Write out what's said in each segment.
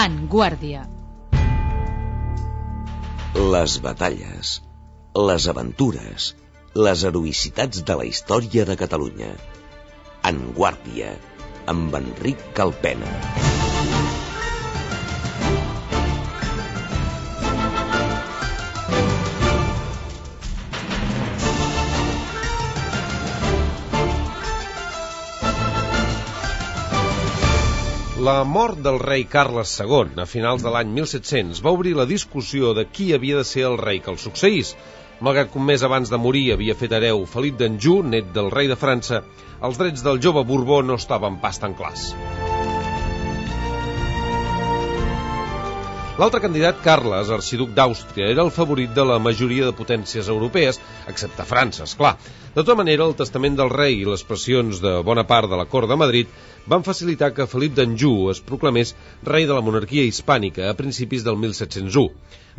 En Guàrdia. Les batalles, les aventures, les heroïcitats de la història de Catalunya. En Guàrdia, amb Enric Calpena. La mort del rei Carles II a finals de l'any 1700 va obrir la discussió de qui havia de ser el rei que el succeís. Malgrat que un mes abans de morir havia fet hereu Felip d'Anjou, net del rei de França, els drets del jove Borbó no estaven pas tan clars. L'altre candidat, Carles, arxiduc d'Àustria, era el favorit de la majoria de potències europees, excepte França, esclar. De tota manera, el testament del rei i les pressions de bona part de la cort de Madrid van facilitar que Felip d'Anjou es proclamés rei de la monarquia hispànica a principis del 1701.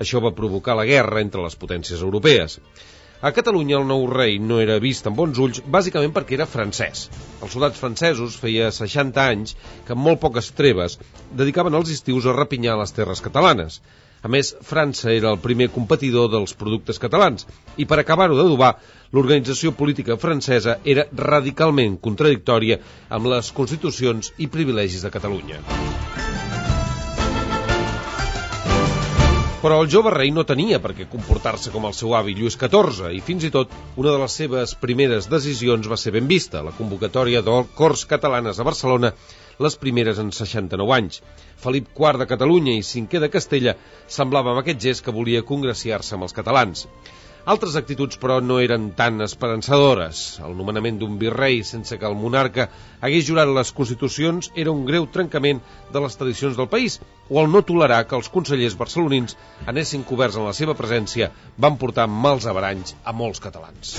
Això va provocar la guerra entre les potències europees. A Catalunya el nou rei no era vist amb bons ulls, bàsicament perquè era francès. Els soldats francesos feia 60 anys que amb molt poques treves dedicaven els estius a rapinyar les terres catalanes. A més, França era el primer competidor dels productes catalans i per acabar-ho d'adobar, l'organització política francesa era radicalment contradictòria amb les constitucions i privilegis de Catalunya. Però el jove rei no tenia per què comportar-se com el seu avi Lluís XIV i fins i tot una de les seves primeres decisions va ser ben vista, la convocatòria de Corts Catalanes a Barcelona, les primeres en 69 anys. Felip IV de Catalunya i V de Castella semblava amb aquest gest que volia congraciar-se amb els catalans. Altres actituds, però, no eren tan esperançadores. El nomenament d'un virrei sense que el monarca hagués jurat les constitucions era un greu trencament de les tradicions del país, o el no tolerar que els consellers barcelonins anessin coberts en la seva presència van portar mals averanys a molts catalans.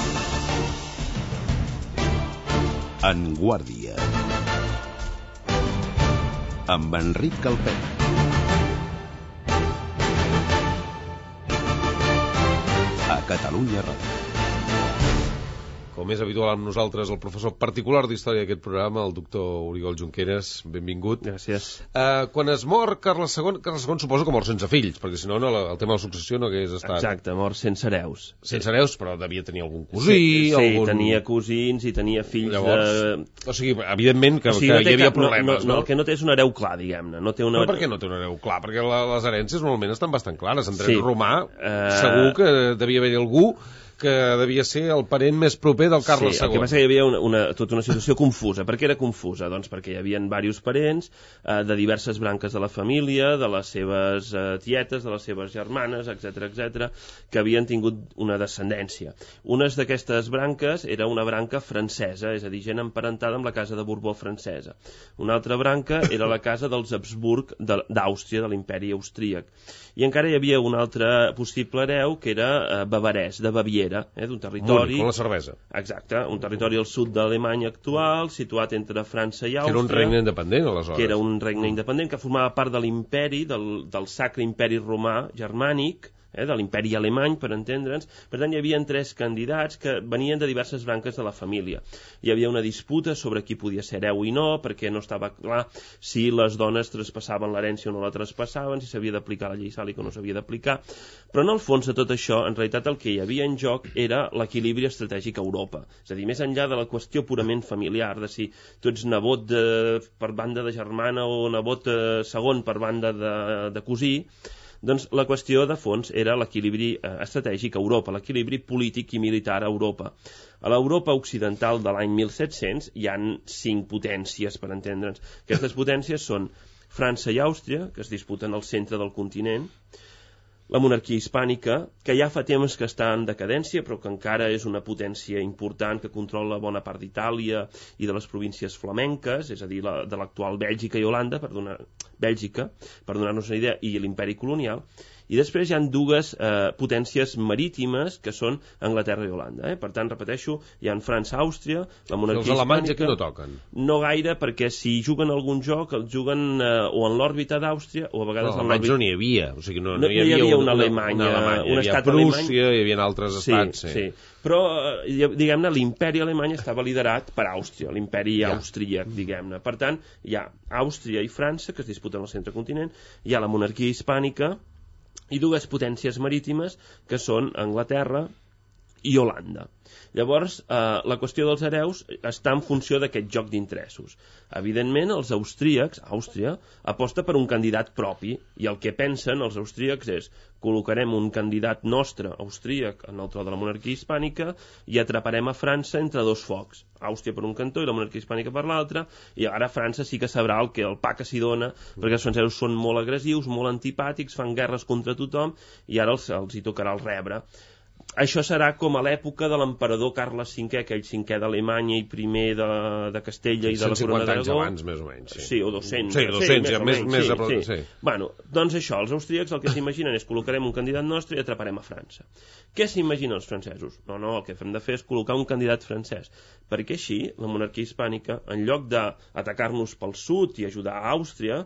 En Guàrdia, amb Enric Calpena. A Catalunya Ràdio. Com és habitual amb nosaltres, el professor particular d'història d'aquest programa, el doctor Oriol Junqueras. Benvingut. Gràcies. Quan es mor Carles II suposo que mor sense fills, perquè si no, el tema de la successió no hagués estat... Exacte, mor sense hereus. Sense hereus, però devia tenir algun cosí... Sí, tenia cosins i tenia fills. Llavors, o sigui, evidentment que hi havia problemes. No, el que no té és un hereu clar, diguem-ne. Però per què no té un hereu clar? Perquè les herències normalment estan bastant clares. En dret romà segur que devia haver-hi algú que devia ser el parent més proper del Carles II. Sí, el que passa que hi havia tota una situació confusa. Per què era confusa? Doncs perquè hi havia diversos parents de diverses branques de la família, de les seves tietes, de les seves germanes, etc, que havien tingut una descendència. Una d'aquestes branques era una branca francesa, és a dir, gent emparentada amb la casa de Borbó francesa. Una altra branca era la casa dels Habsburg d'Àustria, de l'imperi austríac. I encara hi havia un altre possible hereu que era bavarès, de Baviera, d'un territori... Com la cervesa. Exacte, un territori al sud d'Alemanya actual, situat entre França i Àustria. Que era un regne independent, aleshores. Que era un regne independent que formava part de l'imperi, del Sacre Imperi Romà Germànic, de l'imperi alemany, per entendre'ns. Per tant, hi havia 3 candidats que venien de diverses branques de la família. Hi havia una disputa sobre qui podia ser hereu i no, perquè no estava clar si les dones traspassaven l'herència o no la traspassaven, si s'havia d'aplicar la llei sàlica o no s'havia d'aplicar. Però en el fons de tot això, en realitat el que hi havia en joc era l'equilibri estratègic a Europa. És a dir, més enllà de la qüestió purament familiar, de si tu ets nebot per banda de germana o nebot segon per banda de cosí, doncs la qüestió de fons era l'equilibri estratègic a Europa, l'equilibri polític i militar a Europa. A l'Europa occidental de l'any 1700 hi han 5 potències, per entendre'ns. Aquestes potències són França i Àustria, que es disputen al centre del continent, la monarquia hispànica, que ja fa temps que està en decadència, però que encara és una potència important que controla bona part d'Itàlia i de les províncies flamenques, és a dir, de l'actual Bèlgica i Holanda, per donar-nos una idea, i l'imperi colonial. I després hi ha dues potències marítimes que són Anglaterra i Holanda. Per tant, repeteixo, hi ha França, Àustria, la monarquia hispànica... Els alemanys aquí no toquen? No gaire, perquè si juguen algun joc, els juguen o en l'òrbita d'Àustria o a vegades en l'òrbita... No n'hi havia, o sigui, no hi havia una Alemanya, un estat alemany. Prússia, hi havia altres estats, sí. Però, diguem-ne, l'imperi alemany estava liderat per Àustria, l'imperi austríac, diguem-ne. Per tant, hi ha Àustria i França, que es disputen al centre continent, hi ha la monarquia hispànica i dues potències marítimes, que són Anglaterra i Holanda. Llavors, la qüestió dels hereus està en funció d'aquest joc d'interessos. Evidentment, els austríacs, Àustria, aposta per un candidat propi, i el que pensen els austríacs és col·locarem un candidat nostre, austríac, en el tro de la monarquia hispànica i atraparem a França entre dos focs. Àustria per un cantó i la monarquia hispànica per l'altre, i ara França sí que sabrà el pa que s'hi dona, perquè els francesos són molt agressius, molt antipàtics, fan guerres contra tothom, i ara els hi tocarà el rebre. Això serà com a l'època de l'emperador Carles V, aquell cinquè d'Alemanya i primer de Castella i de la Corona d'Aragó. 150 anys abans, més o menys. Sí, o 200. Sí, 200, ja més a prop. Sí. Bueno, doncs això, els austríacs el que s'imaginen és col·locarem un candidat nostre i atraparem a França. Què s'imaginen els francesos? No, el que hem de fer és col·locar un candidat francès, perquè així la monarquia hispànica, en lloc d'atacar-nos pel sud i ajudar a Àustria,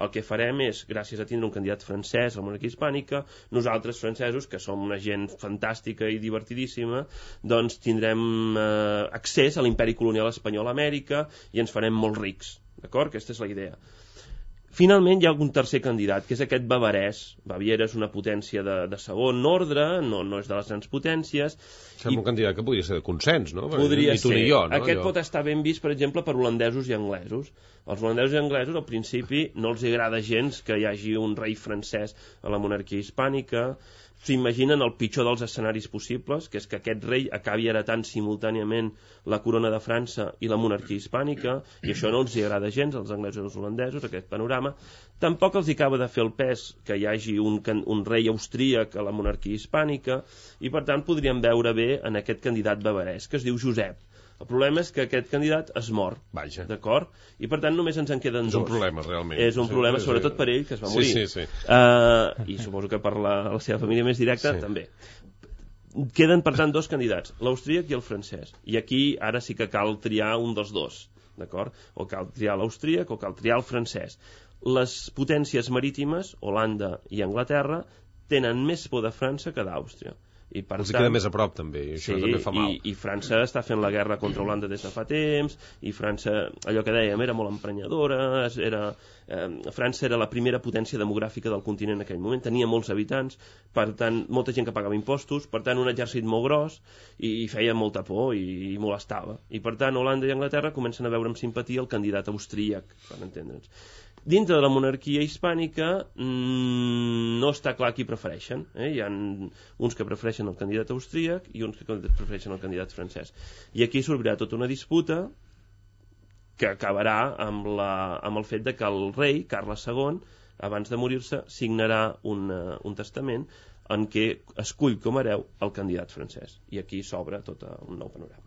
el que farem és, gràcies a tindre un candidat francès a la monarquia hispànica, nosaltres francesos, que som una gent fantàstica i divertidíssima, doncs tindrem accés a l'imperi colonial espanyol a Amèrica i ens farem molt rics, d'acord? Aquesta és la idea. Finalment hi ha un tercer candidat, que és aquest bavarès. Baviera és una potència de segon ordre, no és de les grans potències. Sembla un candidat que podria ser de consens, no? Podria ser. Ni jo, no? Aquest pot estar ben vist, per exemple, per holandesos i anglesos. Els holandesos i anglesos, al principi, no els agrada gens que hi hagi un rei francès a la monarquia hispànica. S'imaginen el pitjor dels escenaris possibles, que és que aquest rei acabi heretant simultàniament la corona de França i la monarquia hispànica, i això no els agrada gens, als anglesos i als holandesos, aquest panorama. Tampoc els acaba de fer el pes que hi hagi un rei austríac a la monarquia hispànica, i per tant podríem veure bé en aquest candidat bavarès, que es diu Josep. El problema és que aquest candidat es mor, d'acord? I per tant només ens en queden dos. És un problema, realment. És un problema, sobretot per ell, que es va morir. Sí. I suposo que per la seva família més directa, també. Queden, per tant, dos candidats, l'austríac i el francès. I aquí ara sí que cal triar un dels dos, d'acord? O cal triar l'austríac o cal triar el francès. Les potències marítimes, Holanda i Anglaterra, tenen més por de França que d'Àustria. Els queda més a prop, també, i això també fa mal. I França està fent la guerra contra Holanda des de fa temps, i França, allò que dèiem, era molt emprenyadora, França era la primera potència demogràfica del continent en aquell moment, tenia molts habitants, per tant, molta gent que pagava impostos, per tant, un exèrcit molt gros, i feia molta por i molestava. I per tant, Holanda i Anglaterra comencen a veure amb simpatia el candidat austríac, per entendre'ns. Dintre de la monarquia hispànica no està clar qui prefereixen. Hi ha uns que prefereixen el candidat austríac i uns que prefereixen el candidat francès. I aquí s'obrirà tota una disputa que acabarà amb el fet de que el rei, Carles II, abans de morir-se, signarà un testament en què escull com a hereu el candidat francès. I aquí s'obre tot un nou panorama.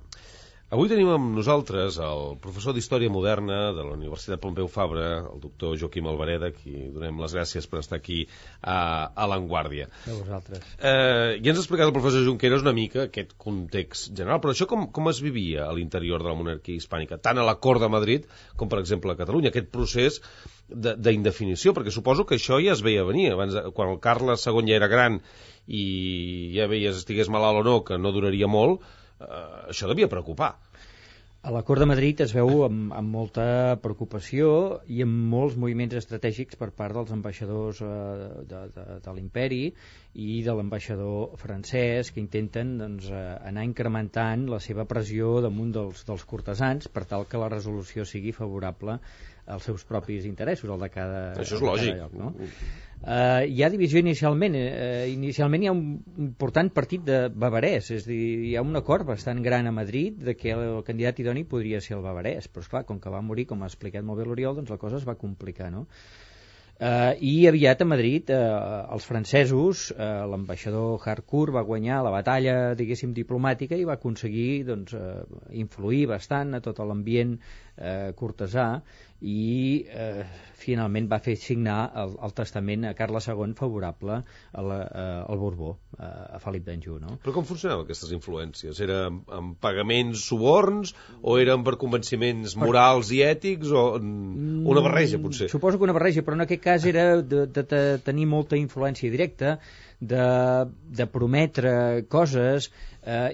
Avui tenim amb nosaltres el professor d'Història Moderna de la Universitat Pompeu Fabra, el doctor Joaquim Albareda, a qui donem les gràcies per estar aquí a l'Avantguàrdia. A vosaltres. Ja ens ha explicat el professor Junqueras una mica aquest context general, però això com es vivia a l'interior de la monarquia hispànica, tant a la cort de Madrid com, per exemple, a Catalunya, aquest procés d'indefinició, perquè suposo que això ja es veia venir. Abans, quan el Carles II ja era gran i ja veies estigués malalt o no, que no duraria molt, això devia preocupar. A la Cort de Madrid es veu amb molta preocupació i amb molts moviments estratègics per part dels ambaixadors de l'imperi i de l'ambaixador francès, que intenten anar incrementant la seva pressió damunt dels cortesans per tal que la resolució sigui favorable als seus propis interessos, el de cada lloc. Això és lògic. No? Hi ha divisió inicialment. Inicialment hi ha un important partit de bavarès, és a dir, hi ha un acord bastant gran a Madrid de que el candidat idoni podria ser el bavarès, però esclar, com que va morir, com ha explicat molt bé l'Oriol, doncs la cosa es va complicar, no? I aviat a Madrid els francesos, l'ambaixador Harcourt va guanyar la batalla, diguéssim, diplomàtica i va aconseguir influir bastant a tot l'ambient cortesà i finalment va fer signar el testament a Carles II favorable al Borbó, a Felip d'Anjou, no? Però com funcionaven aquestes influències? Era amb pagaments, suborns, o eren per convenciments morals i ètics, o una barreja, potser? Suposo que una barreja, però en aquest cas era de tenir molta influència directa, de prometre coses,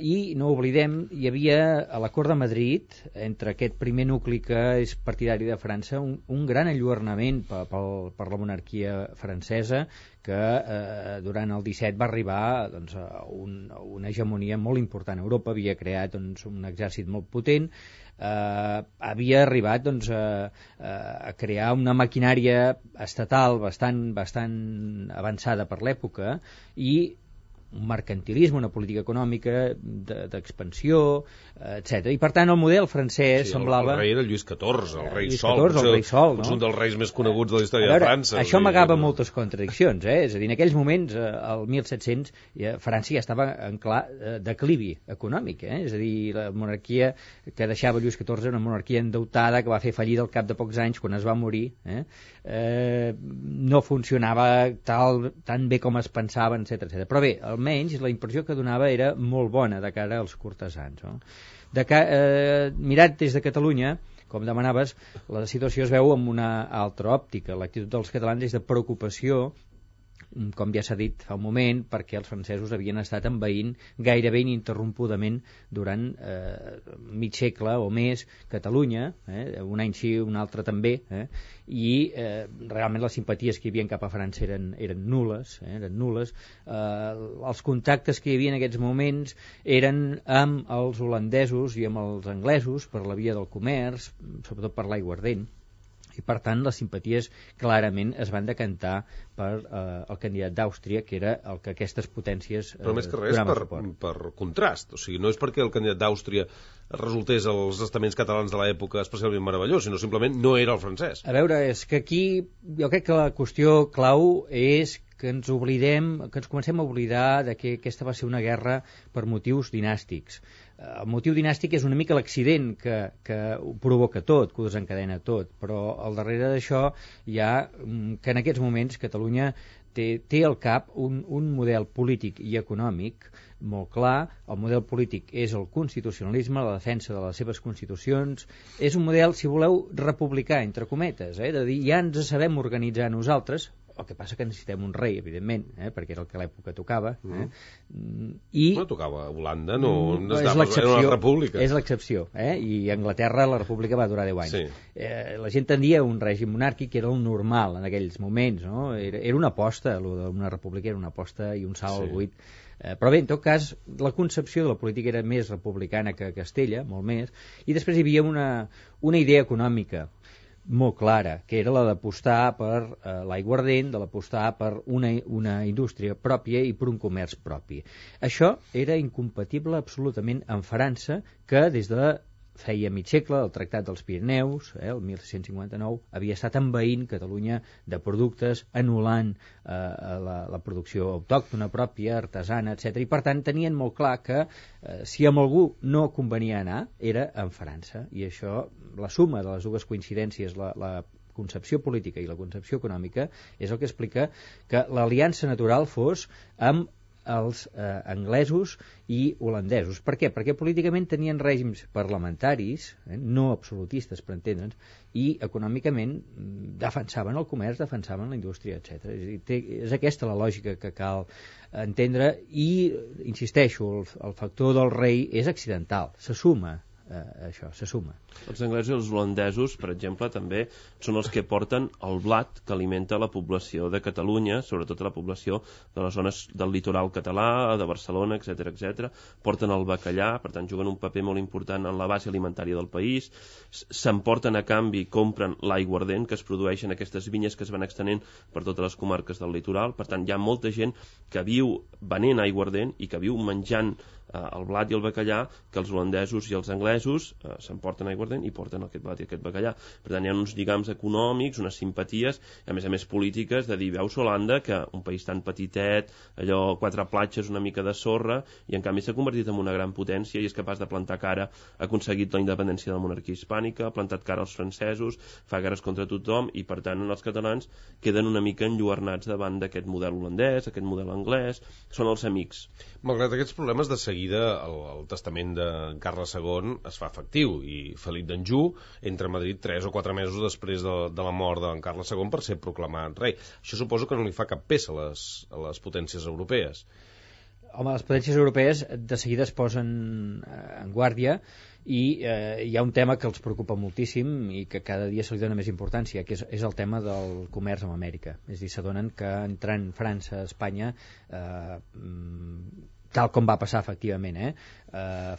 i no oblidem, hi havia a la Cort de Madrid, entre aquest primer nucli que és partidari de França, un gran enlluernament per la monarquia francesa que durant el 17 va arribar a una hegemonia molt important a Europa, havia creat un exèrcit molt potent, havia arribat a crear una maquinària estatal bastant avançada per l'època i un mercantilisme, una política econòmica d'expansió, etc. I per tant el model francès semblava... El rei era Lluís XIV, el rei Lluís Sol, XIV, el rei Sol, no? Un dels reis més coneguts de la història de França. Això amagava moltes contradiccions, és a dir, en aquells moments, el 1700, França ja estava en clar declivi econòmic, és a dir, la monarquia que deixava Lluís XIV era una monarquia endeutada que va fer fallida al cap de pocs anys quan es va morir, no funcionava tan bé com es pensava, etc. Però bé, almenys la impressió que donava era molt bona de cara als cortesans, no? Mirat des de Catalunya, com demanaves, la situació es veu amb una altra òptica. L'actitud dels catalans és de preocupació, com ja s'ha dit fa un moment, perquè els francesos havien estat envaint gairebé ininterrompudament durant mig segle o més Catalunya, un any sí, un altre també, i realment les simpaties que hi havia cap a França eren nul·les, els contactes que hi havia en aquests moments eren amb els holandesos i amb els anglesos per la via del comerç, sobretot per l'aiguardent, i per tant les simpaties clarament es van decantar per el candidat d'Àustria, que era el que aquestes potències però més que res per contrast, o sigui, no és perquè el candidat d'Àustria resultés als estaments catalans de l'època especialment meravellós, sinó simplement no era el francès. A veure, és que aquí jo crec que la qüestió clau és que ens comencem a oblidar de que aquesta va ser una guerra per motius dinàstics. El motiu dinàstic és una mica l'accident que ho provoca tot, que ho desencadena tot, però al darrere d'això hi ha que en aquests moments Catalunya té al cap un model polític i econòmic molt clar. El model polític és el constitucionalisme, la defensa de les seves constitucions, és un model, si voleu, republicà, entre cometes, de dir, ja ens sabem organitzar nosaltres. El que passa que necessitem un rei, evidentment, perquè era el que a l'època tocava. No tocava a Holanda, no era una república. És l'excepció, i a Anglaterra la república va durar 10 anys. Sí. La gent tendia un règim monàrquic que era el normal en aquells moments, no? Era una aposta, una república era una aposta i un salt al buit. Però bé, en tot cas, la concepció de la política era més republicana que a Castella, molt més, i després hi havia una idea econòmica molt clara, que era la d'apostar per l'aiguardent, de l'apostar per una indústria pròpia i per un comerç propi. Això era incompatible absolutament amb França, que des de feia mig segle, el Tractat dels Pirineus, el 1659, havia estat envaint Catalunya de productes, anul·lant la producció autòctona pròpia, artesana, etc. I per tant tenien molt clar que si amb algú no convenia anar era en França, i això, la suma de les dues coincidències, la concepció política i la concepció econòmica, és el que explica que l'aliança natural fos amb els anglesos i holandesos. Per què? Perquè políticament tenien règims parlamentaris, no absolutistes, per entendre'ns, i econòmicament defensaven el comerç, defensaven la indústria, etc. És aquesta la lògica que cal entendre i, insisteixo, el factor del rei és accidental, se suma. Això se suma. Els anglesos i els holandesos, per exemple, també són els que porten el blat que alimenta la població de Catalunya, sobretot la població de les zones del litoral català, de Barcelona, etc. Porten el bacallà, per tant juguen un paper molt important en la base alimentària del país, s'emporten a canvi, compren l'aiguardent que es produeix en aquestes vinyes que es van extenent per totes les comarques del litoral. Per tant, hi ha molta gent que viu venent aiguardent i que viu menjant el blat i el bacallà, que els holandesos i els anglesos s'emporten aiguardent i porten aquest blat i aquest bacallà. Per tant, hi ha uns lligams econòmics, unes simpaties, i a més polítiques, de dir, veus Holanda, que un país tan petitet, allò 4 platges, una mica de sorra, i en canvi s'ha convertit en una gran potència i és capaç de plantar cara, ha aconseguit la independència de la monarquia hispànica, ha plantat cara als francesos, fa guerres contra tothom, i per tant els catalans queden una mica enlluernats davant d'aquest model holandès, aquest model anglès, són els amics. Malgrat aquests problemes, de seguida el testament de Carles II es fa efectiu i Felip d'Anjou entra a Madrid 3 o 4 mesos després de la mort d'en Carles II per ser proclamat rei. Això suposo que no li fa cap peça a les potències europees. Home, les potències europees de seguida es posen en guàrdia i hi ha un tema que els preocupa moltíssim i que cada dia se li dona més importància, que és el tema del comerç amb Amèrica. És a dir, s'adonen que entrant França a Espanya, tal com va passar efectivament,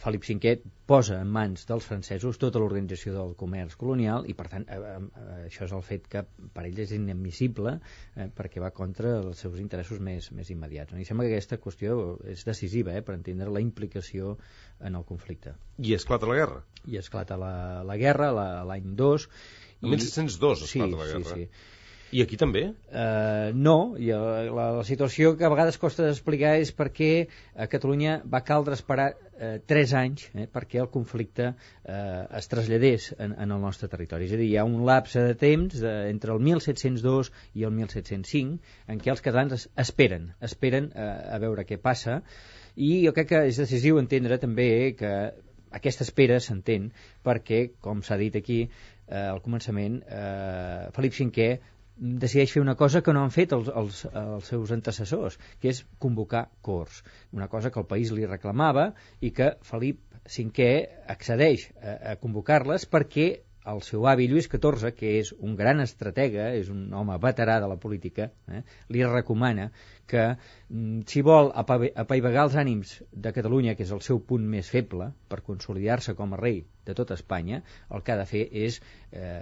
Felip V posa en mans dels francesos tota l'organització del comerç colonial i per tant això és el fet que per ells és inadmissible perquè va contra els seus interessos més immediats. I sembla que aquesta qüestió és decisiva per entendre la implicació en el conflicte. I esclata la guerra? I esclata la guerra l'any 2. El 1702 esclata la guerra? Sí. I aquí també? No, i la situació que a vegades costa d'explicar és perquè a Catalunya va caldre esperar 3 anys perquè el conflicte es traslladés en el nostre territori. És a dir, hi ha un lapse de temps entre el 1702 i el 1705 en què els catalans esperen a veure què passa, i jo crec que és decisiu entendre també que aquesta espera s'entén perquè, com s'ha dit aquí al començament, Felip V decideix fer una cosa que no han fet els seus antecessors, que és convocar corts, una cosa que el país li reclamava i que Felip V accedeix a convocar-les perquè el seu avi Lluís XIV, que és un gran estratega, és un home veterà de la política, li recomana que si vol apaivagar els ànims de Catalunya, que és el seu punt més feble, per consolidar-se com a rei de tota Espanya, el que ha de fer és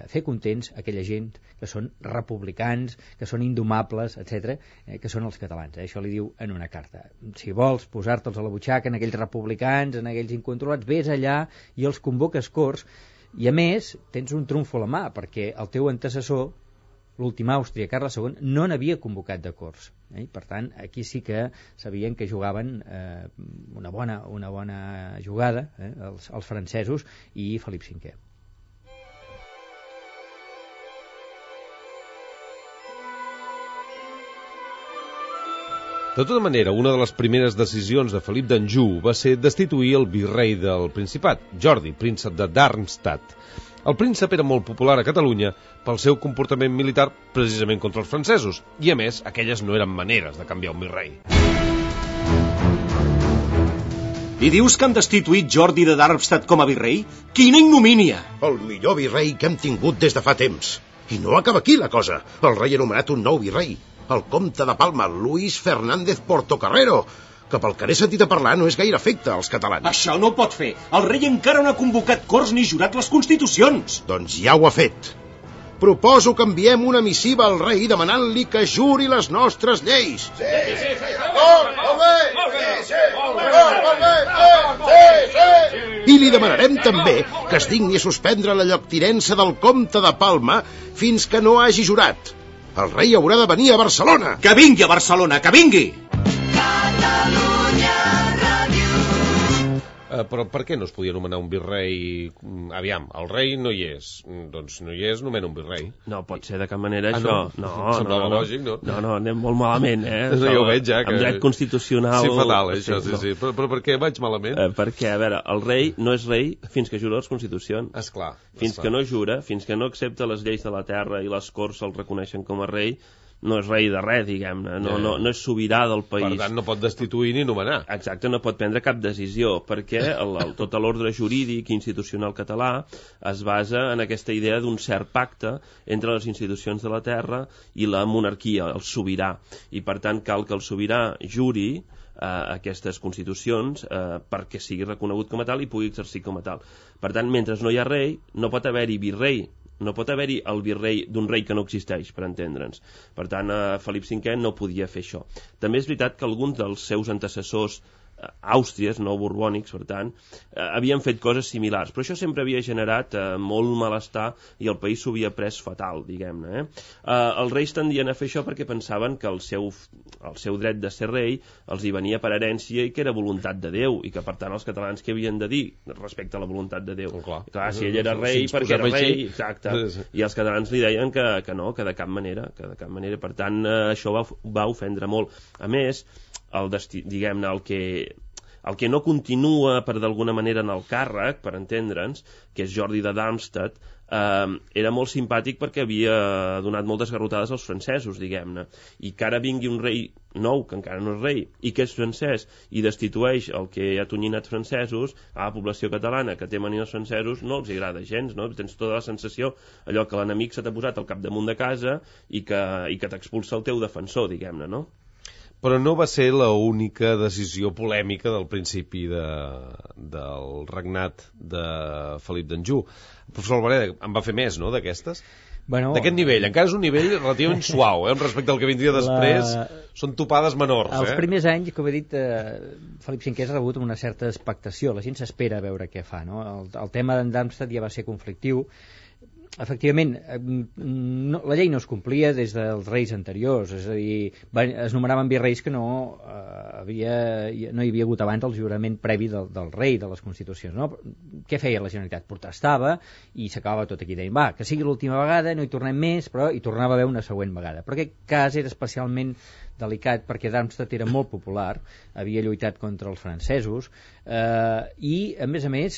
fer contents aquella gent que són republicans, que són indomables, etc., que són els catalans. Això li diu en una carta. Si vols posar-te'ls a la butxaca en aquells republicans, en aquells incontrolats, vés allà i els convoques corts. I a més, tens un trumfo a la mà, perquè el teu antecessor, l'últim Àustria, Carles II, no n'havia convocat de corts. Per tant, aquí sí que sabien que jugaven una bona jugada, els francesos i Felip V. De tota manera, una de les primeres decisions de Felip d'Anjou va ser destituir el virrei del Principat, Jordi, príncep de Darmstadt. El príncep era molt popular a Catalunya pel seu comportament militar precisament contra els francesos, i a més, aquelles no eren maneres de canviar un virrei. I dius que han destituït Jordi de Darmstadt com a virrei? Quina ignomínia! El millor virrei que hem tingut des de fa temps. I no acaba aquí la cosa. El rei ha nomenat un nou virrei, el comte de Palma, Luis Fernández Portocarrero, que pel que n'he sentit a parlar no és gaire afecte als catalans. Això no pot fer. El rei encara no ha convocat corts ni jurat les constitucions. Doncs ja ho ha fet. Proposo que enviem una missiva al rei demanant-li que juri les nostres lleis. Sí. I li demanarem també que es digni a suspendre la lloctinença del comte de Palma fins que no hagi jurat. El rei haurà de venir a Barcelona. Que vingui a Barcelona, que vingui! Però per què no es podia nomenar un virrei? Aviam, el rei no hi és. Doncs no hi és, nomena un virrei. No pot ser de cap manera, Ah, això. no? Semblava lògic, no? No, anem molt malament, No, ja ho veig, ja. Amb dret constitucional... Sí, fatal, això, sí. Però per què vaig malament? Perquè, a veure, el rei no és rei fins que jura les constitucions. Esclar. Fins que no jura, fins que no accepta les lleis de la terra i les corts el reconeixen com a rei, no és rei de res, diguem-ne, no és sobirà del país. Per tant, no pot destituir ni nomenar. Exacte, no pot prendre cap decisió, perquè tot l'ordre jurídic i institucional català es basa en aquesta idea d'un cert pacte entre les institucions de la terra i la monarquia, el sobirà. I per tant cal que el sobirà juri aquestes constitucions perquè sigui reconegut com a tal i pugui exercir com a tal. Per tant, mentre no hi ha rei, no pot haver-hi virrei, no pot haver-hi el virrei d'un rei que no existeix, per entendre'ns. Per tant, Felip V no podia fer això. També és veritat que alguns dels seus antecessors àustries, no borbònics, per tant, havien fet coses similars. Però això sempre havia generat molt malestar i el país s'ho havia pres fatal, diguem-ne. Els reis tendien a fer això perquè pensaven que el seu dret de ser rei els hi venia per herència i que era voluntat de Déu, i que per tant els catalans què havien de dir respecte a la voluntat de Déu? Clar, si ell era rei perquè era rei, exacte, i els catalans li deien que no, que de cap manera. Per tant, això va ofendre molt. A més, diguem-ne, el que no continua per d'alguna manera en el càrrec, per entendre'ns, que és Jordi de Darmstadt, era molt simpàtic perquè havia donat moltes garrotades als francesos, diguem-ne, i que ara vingui un rei nou, que encara no és rei, i que és francès, i destitueix el que ha tonyinat francesos a la població catalana, que té mania els francesos, no els agrada gens, no? Tens tota la sensació, allò que l'enemic se t'ha posat al capdamunt de casa i que t'expulsa el teu defensor, diguem-ne, no? Però no va ser l'única decisió polèmica del principi del regnat de Felip d'Anjou. El professor Albareda en va fer més, no?, d'aquestes? Bueno, d'aquest nivell, encara és un nivell relativament suau, respecte al que vindria després, són topades menors. Els primers anys, com he dit, Felip V és rebut amb una certa expectació, la gent s'espera a veure què fa, no? El tema d'en Darmstadt ja va ser conflictiu. Efectivament, la llei no es complia des dels reis anteriors, és a dir, es numeraven virreis que no hi havia hagut abans el jurament previ del rei, de les constitucions, no? Què feia la Generalitat? Protestava i s'acabava tot aquí, deien, que sigui l'última vegada, no hi tornem més, però hi tornava a haver una següent vegada. Però aquest cas era especialment delicat perquè Darmstadt era molt popular, havia lluitat contra els francesos i, a més,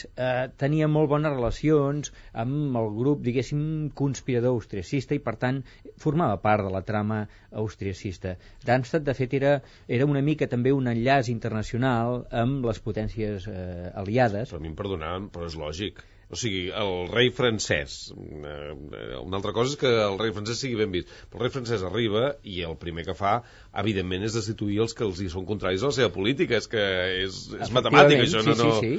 tenia molt bones relacions amb el grup, diguéssim, conspirador austriacista i, per tant, formava part de la trama austriacista. Darmstadt, de fet, era una mica també un enllaç internacional amb les potències aliades. Però a mi em perdonaran, però és lògic. O sigui, el rei francès, una altra cosa és que el rei francès sigui ben vist, però el rei francès arriba i el primer que fa, evidentment, és destituir els que els hi són contraris a la seva política, és que és matemàtic, això. Sí,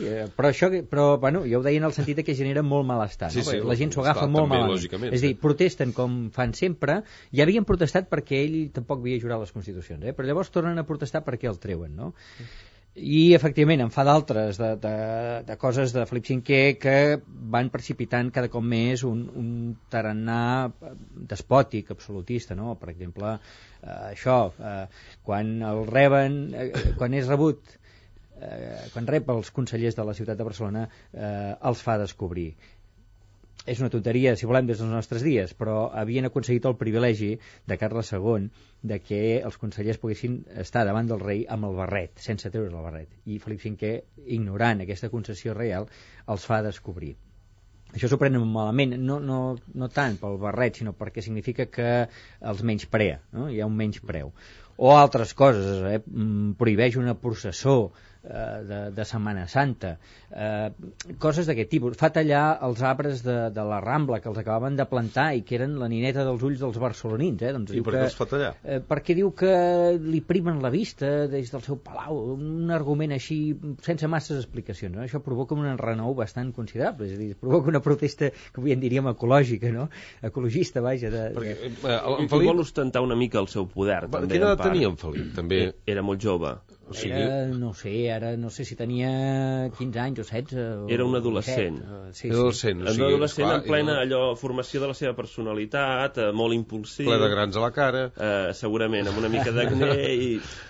però bueno, jo ho deia en el sentit que genera molt malestar, no? Sí, la gent s'ho agafa molt malament. És a dir, protesten com fan sempre, ja havien protestat perquè ell tampoc havia jurat les constitucions, però llavors tornen a protestar perquè el treuen, no? I, efectivament, en fa d'altres, de coses de Felip V que van precipitant cada cop més un tarannà despòtic, absolutista, no? Per exemple, quan el reben, quan és rebut, quan rep els consellers de la ciutat de Barcelona, els fa descobrir. És una tonteria, si volem, des dels nostres dies, però havien aconseguit el privilegi de Carles II de que els consellers poguessin estar davant del rei amb el barret, sense treure's el barret. I Felip V, ignorant aquesta concessió reial, els fa descobrir. Això s'ho prenen malament, no tant pel barret, sinó perquè significa que els menysprea, no? Hi ha un menyspreu. O altres coses, prohibeix una processó de Setmana Santa, coses d'aquest tipus. Fa tallar els arbres de la Rambla que els acabaven de plantar i que eren la nineta dels ulls dels barcelonins. I per què els fa tallar? Perquè diu que li primen la vista des del seu palau, un argument així sense masses explicacions, no? Això provoca un enrenou bastant considerable, és a dir, provoca una protesta que avui en diríem ecològica, no? Ecologista, vaja. Perquè vol ostentar una mica el seu poder. Quina edat tenia en Felip? També era molt jove. No sé si tenia 15 anys o 16. Era un adolescent. Era adolescent, en plena formació de la seva personalitat, molt impulsiu. Ple de grans a la cara. Segurament, amb una mica d'acné.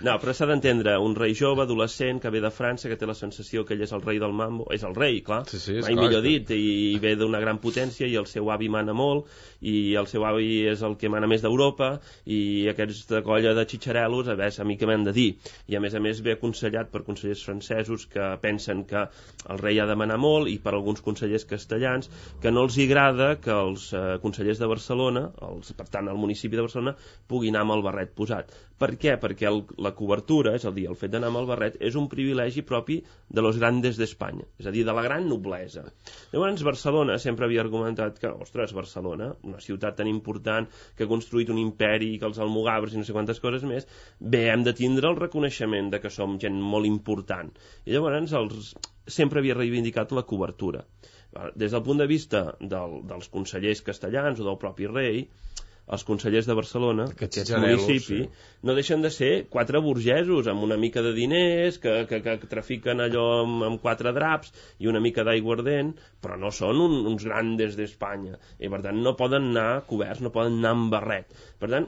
No, però s'ha d'entendre, un rei jove, adolescent, que ve de França, que té la sensació que ell és el rei del mambo. És el rei, clar, mai millor dit, i ve d'una gran potència i el seu avi mana molt, i el seu avi és el que mana més d'Europa, i aquesta colla de xitxarelos, a mi què m'han de dir? I a més ve aconsellat per consellers francesos que pensen que el rei ha de manar molt, i per alguns consellers castellans que no els agrada que els consellers de Barcelona, per tant el municipi de Barcelona, puguin anar amb el barret posat. Per què? Perquè la cobertura, és a dir, el fet d'anar amb el barret, és un privilegi propi de los grandes d'Espanya, és a dir, de la gran noblesa. Llavors Barcelona sempre havia argumentat que, ostres, Barcelona, una ciutat tan important que ha construït un imperi, que els almogàvers i no sé quantes coses més, bé, hem de tindre el reconeixement que som gent molt important. I llavors sempre havia reivindicat la cobertura. Des del punt de vista dels consellers castellans o del propi rei, els consellers de Barcelona, aquest xitxarelos, municipi, no deixen de ser 4 burgesos amb una mica de diners, que trafiquen allò amb 4 draps i una mica d'aiguardent, però no són uns grandes d'Espanya. I per tant no poden anar coberts, no poden anar amb barret. Per tant,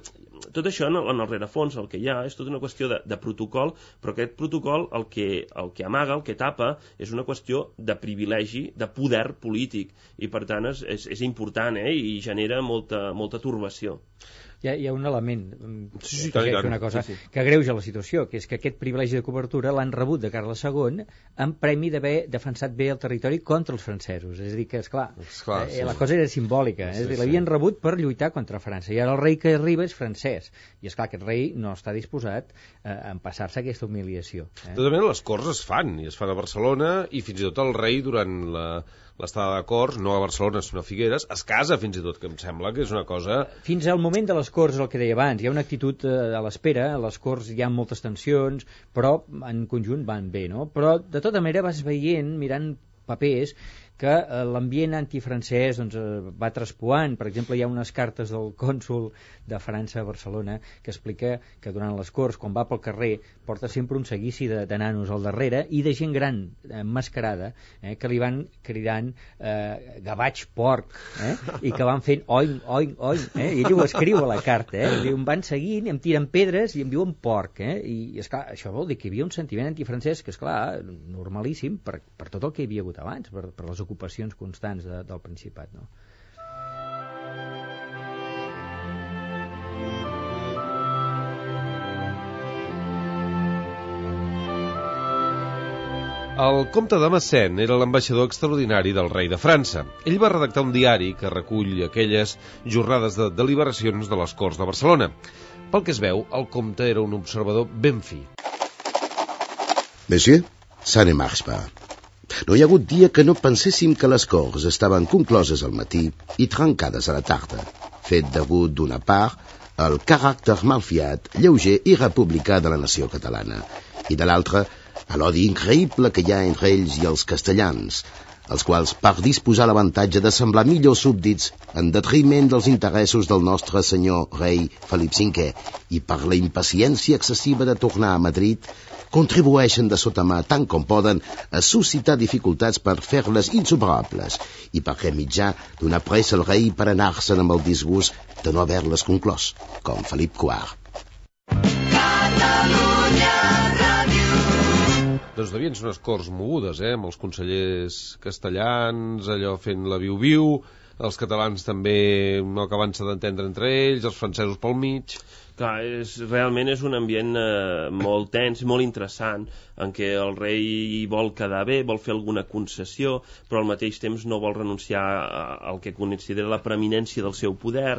tot això en el rerefons el que hi ha és tota una qüestió de protocol, però aquest protocol el que amaga, el que tapa, és una qüestió de privilegi, de poder polític, i per tant és important, i genera molta turbació. Hi ha un element una cosa que agreuja la situació, que és que aquest privilegi de cobertura l'han rebut de Carles II en premi d'haver defensat bé el territori contra els francesos. És a dir, que, esclar, la cosa era simbòlica. És a dir, l'havien rebut per lluitar contra França. I ara el rei que arriba és francès. I, esclar, aquest rei no està disposat a empassar-se aquesta humiliació. De tota manera, les corts es fan, i es fan a Barcelona, i fins i tot el rei, durant l'estada de Corts, no a Barcelona sinó a Figueres, es casa fins i tot, que em sembla que és una cosa... Fins al moment de les Corts, el que deia abans, hi ha una actitud a l'espera, a les Corts hi ha moltes tensions, però en conjunt van bé, no? Però de tota manera vas veient, mirant papers, que l'ambient antifrancès va traspuant. Per exemple, hi ha unes cartes del cònsol de França a Barcelona que explica que durant les Corts, quan va pel carrer, porta sempre un seguici de nanos al darrere i de gent gran, emmascarada, que li van cridant gavatx porc, i que van fent oing, oing, oing, i ell ho escriu a la carta, diu, em van seguint, em tiren pedres i em diuen porc, i esclar, això vol dir que hi havia un sentiment antifrancès que, esclar, normalíssim per tot el que hi havia hagut abans, per les ocupacions constants del Principat, no? El comte de Massèn era l'ambaixador extraordinari del rei de França. Ell va redactar un diari que recull aquelles jornades de deliberacions de les Corts de Barcelona. Pel que es veu, el comte era un observador ben fi. Monsieur, ça ne marche pas. No hi ha hagut dia que no penséssim que les Corts estaven concloses al matí i trencades a la tarda, fet degut d'una part al caràcter malfiat, lleuger i republicà de la nació catalana, i de l'altra a l'odi increïble que hi ha entre ells i els castellans, els quals, per disposar l'avantatge de semblar millors súbdits en detriment dels interessos del nostre senyor rei Felip V i per la impaciència excessiva de tornar a Madrid, contribueixen de sota mà tant com poden a suscitar dificultats per fer-les insuperables i per mitjà donar pressa al rei per anar-se'n amb el disgust de no haver-les conclòs, com Felip IV. Doncs devien ser unes corts mogudes, amb els consellers castellans, allò fent la viu-viu, els catalans també no acabant-se d'entendre entre ells, els francesos pel mig... Clar, realment és un ambient molt tens, molt interessant, en què el rei vol quedar bé, vol fer alguna concessió, però al mateix temps no vol renunciar al que considera la preeminència del seu poder,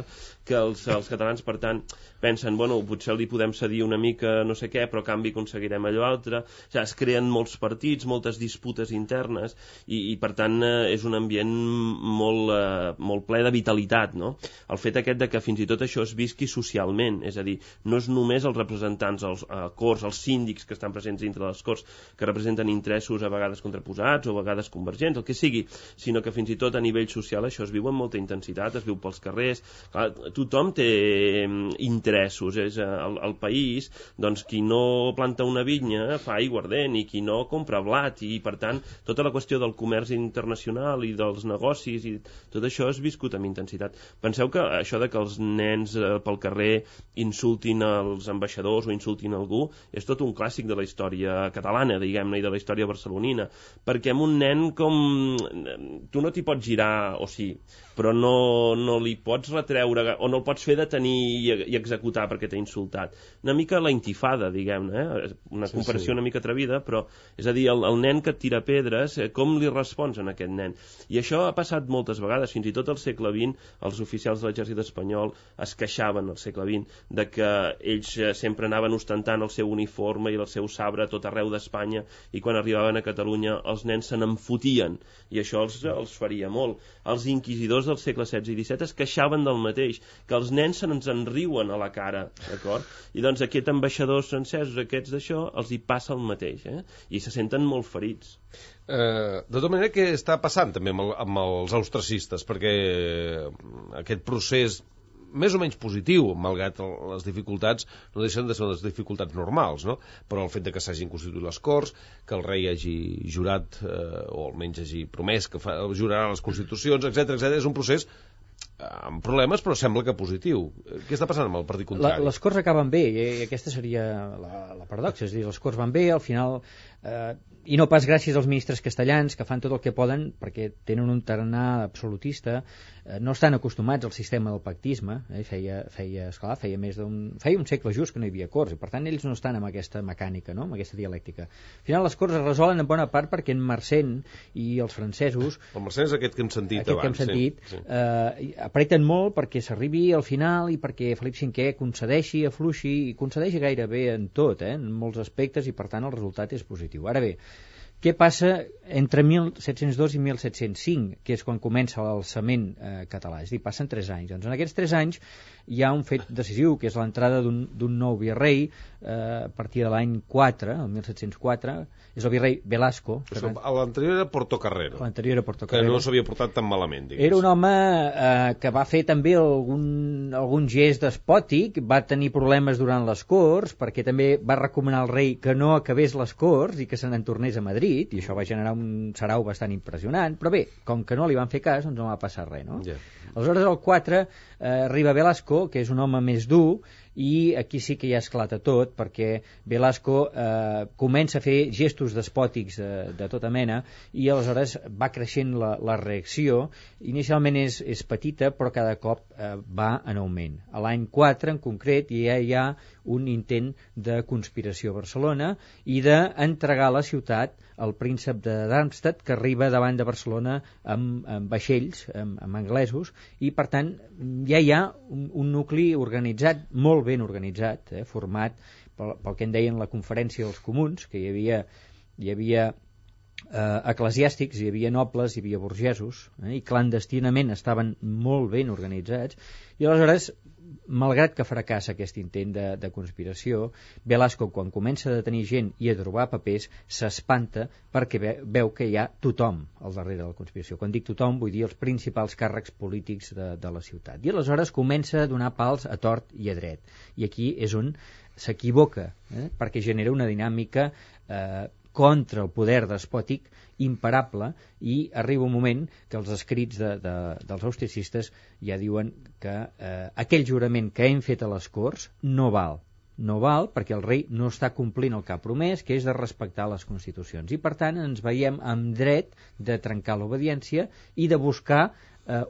que els catalans, per tant, pensen, bueno, potser li podem cedir una mica no sé què, però a canvi aconseguirem allò altre. O sigui, es creen molts partits, moltes disputes internes, i per tant és un ambient molt ple de vitalitat, no? El fet aquest de que fins i tot això es visqui socialment, és a dir, no és només els representants als Corts, els síndics que estan presents dintre de les Corts, que representen interessos a vegades contraposats o a vegades convergents, el que sigui, sinó que fins i tot a nivell social això es viu amb molta intensitat, es viu pels carrers. Clar, tothom té interessos, és el país, doncs qui no planta una vinya fa aiguardent i qui no compra blat, i per tant tota la qüestió del comerç internacional i dels negocis i tot això és viscut amb intensitat. Penseu que això de que els nens pel carrer insultin els ambaixadors o insultin algú és tot un clàssic de la història catalana, diguem-ne, i de la història barcelonina, perquè amb un nen tu no t'hi pots girar, o sí, però no li pots retreure o no el pots fer detenir i executar perquè t'ha insultat. Una mica la intifada, diguem-ne, una comparació una mica atrevida, però és a dir, el nen que et tira pedres, com li respons a aquest nen? I això ha passat moltes vegades, fins i tot al segle XX els oficials de l'exèrcit espanyol es queixaven al segle XX de que ells sempre anaven ostentant el seu uniforme i el seu sabre a tot arreu d'Espanya, i quan arribaven a Catalunya els nens se n'enfotien, i això els faria molt. Els inquisidors del segle XVI i XVII es queixaven del mateix, que els nens se'ns en riuen a la cara, d'acord? I doncs aquests ambaixadors francesos, aquests d'això, els hi passa el mateix, i se senten molt ferits. De tota manera, què està passant també amb els austracistes? Perquè aquest procés més o menys positiu, malgrat les dificultats, no deixen de ser les dificultats normals, no? Però el fet de que s'hagin constituït les Corts, que el rei hagi jurat, o almenys hagi promès que jurarà les Constitucions, etc., és un procés amb problemes, però sembla que positiu. Què està passant amb el partit contrari? Les Corts acaben bé, i aquesta seria la paradoxa, és a dir, les Corts van bé, al final, i no pas gràcies als ministres castellans, que fan tot el que poden, perquè tenen un tarannà absolutista, no estan acostumats al sistema del pactisme, feia un segle just que no hi havia Corts, i per tant ells no estan amb aquesta mecànica, no? Amb aquesta dialèctica. Al final les Corts es resolen en bona part perquè en Mersenne i els francesos... El Mersenne és aquest que hem sentit abans. Apreten molt perquè s'arribi al final i perquè Felip V concedeixi, afluixi, i concedeixi gairebé en tot, en molts aspectes, i per tant el resultat és positiu. Ara bé, què passa entre 1702 i 1705, que és quan comença l'alçament català? És a dir, passen 3 anys. Doncs en aquests 3 anys hi ha un fet decisiu, que és l'entrada d'un nou virrei a partir de l'any 4, el 1704, és el virrei Velasco. L'anterior era Portocarrero. L'anterior era Portocarrero. Que no s'havia portat tan malament, digues. Era un home que va fer també algun gest despòtic, va tenir problemes durant les Corts, perquè també va recomanar al rei que no acabés les Corts i que se n'en tornés a Madrid, i això va generar un sarau bastant impressionant, però bé, com que no li van fer cas, doncs no va passar res, no? Yeah. Aleshores, el 4 arriba Velasco, que és un home més dur, i aquí sí que ja esclata tot, perquè Velasco comença a fer gestos despòtics de tota mena, i aleshores va creixent la reacció. Inicialment és petita, però cada cop va en augment. A l'any 4 en concret ja hi ha un intent de conspiració a Barcelona i d'entregar la ciutat al príncep de Darmstadt, que arriba davant de Barcelona amb vaixells, amb anglesos, i per tant ja hi ha un nucli organitzat, molt ben organitzat, format pel que en deien la conferència dels comuns, que hi havia eclesiàstics, hi havia nobles, hi havia burgesos, i clandestinament estaven molt ben organitzats, i aleshores, malgrat que fracassa aquest intent de conspiració, Velasco, quan comença a tenir gent i a trobar papers, s'espanta perquè veu que hi ha tothom al darrere de la conspiració. Quan dic tothom, vull dir els principals càrrecs polítics de la ciutat. I aleshores comença a donar pals a tort i a dret. I aquí és on s'equivoca, perquè genera una dinàmica contra el poder despòtic imparable, i arriba un moment que els escrits dels austriacistes ja diuen que aquell jurament que hem fet a les Corts no val perquè el rei no està complint el que ha promès, que és de respectar les Constitucions, i per tant ens veiem amb dret de trencar l'obediència i de buscar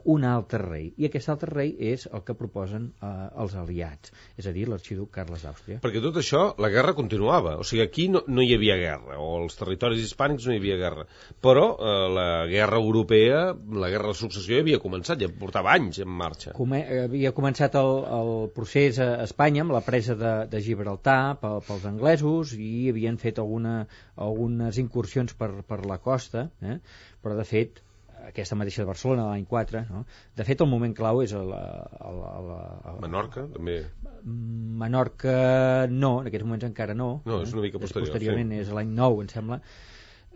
un altre rei, i aquest altre rei és el que proposen els aliats, és a dir, l'arxiduc Carles d'Àustria. Perquè tot això, la guerra continuava, o sigui, aquí no hi havia guerra, o als territoris hispànics no hi havia guerra, però la guerra europea, la guerra de successió ja havia començat, ja portava anys en marxa. Havia començat el procés a Espanya amb la presa de Gibraltar pels anglesos, i havien fet algunes incursions per la costa, però de fet aquesta mateixa de Barcelona, l'any 4, no? De fet, el moment clau és Menorca, també? Menorca, no, en aquests moments encara no. No, és una mica posterior. Posteriorment, és l'any 9, em sembla.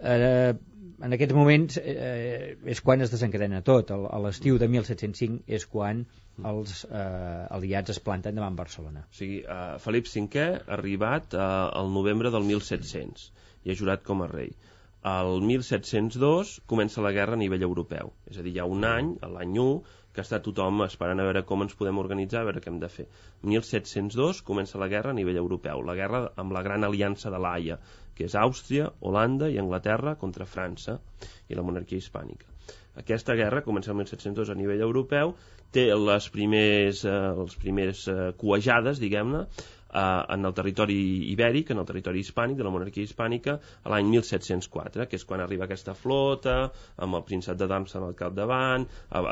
En aquests moments és quan es desencadena tot. A l'estiu de 1705 és quan els aliats es planten davant Barcelona. O sigui, Felip V ha arribat al novembre del 1700 i ha jurat com a rei. El 1702 comença la guerra a nivell europeu, és a dir, hi ha un any, l'any 1, que està tothom esperant a veure com ens podem organitzar, a veure què hem de fer. 1702 comença la guerra a nivell europeu, la guerra amb la gran aliança de l'Haia, que és Àustria, Holanda i Anglaterra contra França i la monarquia hispànica. Aquesta guerra comença el 1702 a nivell europeu, té les primers cuejades, diguem-ne, en el territori ibèric, en el territori hispànic, de la monarquia hispànica, a l'any 1704, que és quan arriba aquesta flota, amb el príncep de Darmstadt al capdavant,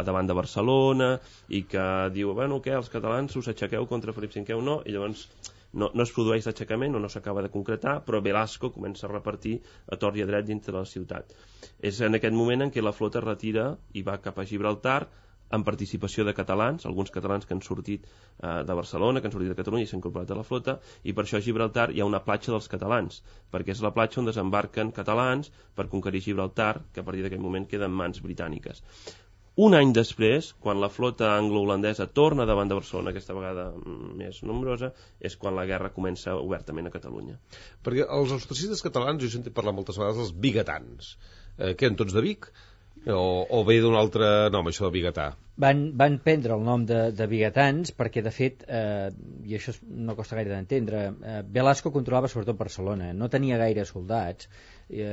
davant de Barcelona, i que diu, bueno, què, els catalans us aixequeu contra Felip V o no? I llavors no es produeix l'aixecament o no s'acaba de concretar, però Velasco comença a repartir a tort i a dret dintre de la ciutat. És en aquest moment en què la flota es retira i va cap a Gibraltar, amb participació de catalans, alguns catalans que han sortit de Barcelona, que han sortit de Catalunya i s'han incorporat a la flota, i per això a Gibraltar hi ha una platja dels catalans, perquè és la platja on desembarquen catalans per conquerir Gibraltar, que a partir d'aquest moment queda en mans britàniques. Un any després, quan la flota anglo-holandesa torna davant de Barcelona, aquesta vegada més nombrosa, és quan la guerra comença obertament a Catalunya. Perquè els austriacistes catalans, jo he sentit parlar moltes vegades dels bigatans. Què, en tots de Vic? O ve d'un altre nom, això de bigatà? Van prendre el nom de bigatans perquè, de fet, i això no costa gaire d'entendre, Velasco controlava sobretot Barcelona, no tenia gaire soldats, i